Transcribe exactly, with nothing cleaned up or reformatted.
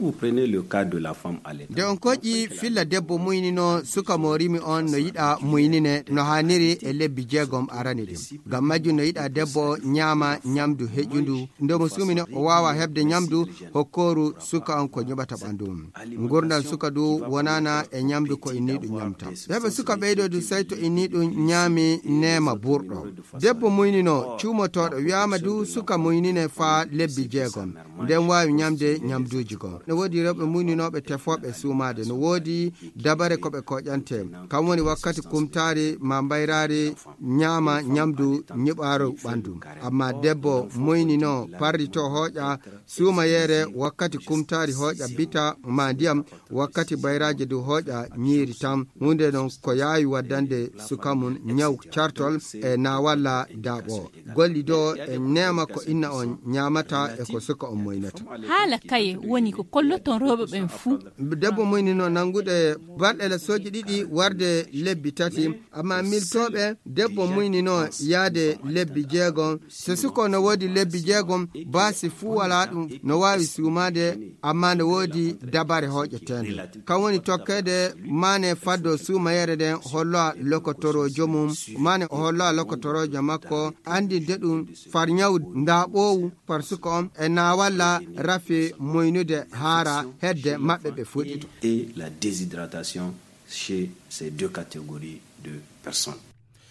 Vous prenez le cas de la femme allaitant. Nde on koƴƴi filla debbo muynino suka mo rimi on no yiɗa muynine no haaniri e lebbi jeegom arani ɗum. Ngam majjum no yiɗa debbo ñaama ñamdu heƴƴundu. Nde mo suumini o waawa heɓde ñamdu hokkooru suka on ko ñuɓata ɓanndu mum. Ngurndan suka du wonaana e ñamdu ko inniiɗum ñamta. Heɓa suka ɓeydo du sey to inniiɗum ñaami neema burɗo. Debbo muynino cuumotooɗo wiyaama du suka muynine faa lebbi jeegom. Nden waawi ñamde ñamduuji goo. No woodi rewɓe muyninooɓe tefooɓe suumaade. No woodi dabare ko ɓe koƴante. Kam woni wakkati kumtaari ma mbayraari ñaama ñamdu ñiɓaaru ɓanndu. Amma debbo muynino parrito hooƴa suumayeere wakkati kumtaari hooƴa bita ma ndiyam, wakkati bayraaji du hooƴa ñiiri tan. Huunde non ko yaawi waddande suka mum ñaw cartol e naawalla daaɓo. Golli do e neema ko inna on ñaamata e ko suka on moynata. Haala kaye woni ko kolloton rewɓe ɓen fuu. Debbo muynino nanngude balɗe la sooji ɗiɗi warde lebbi tati, amma miltooɓe debbo muynino yaade lebbi jeegom. So suka no woodi lebbi jeegom, baasi fuu walaa ɗum, no waawi suumaade, amma no woodi dabare hooƴeteende. Kam woni tokkeede maane faddo suumayeere nden holloa lokotoroojo mum, maane o holloa lokotoroojo makko, anndinde ɗum far ñaw ndaaɓoowu, far suka on, e naawalla rafi moynude haara hedde maɓɓe ɓe fuɗɗito. Et la déshydratation chez ces deux catégories de personnes.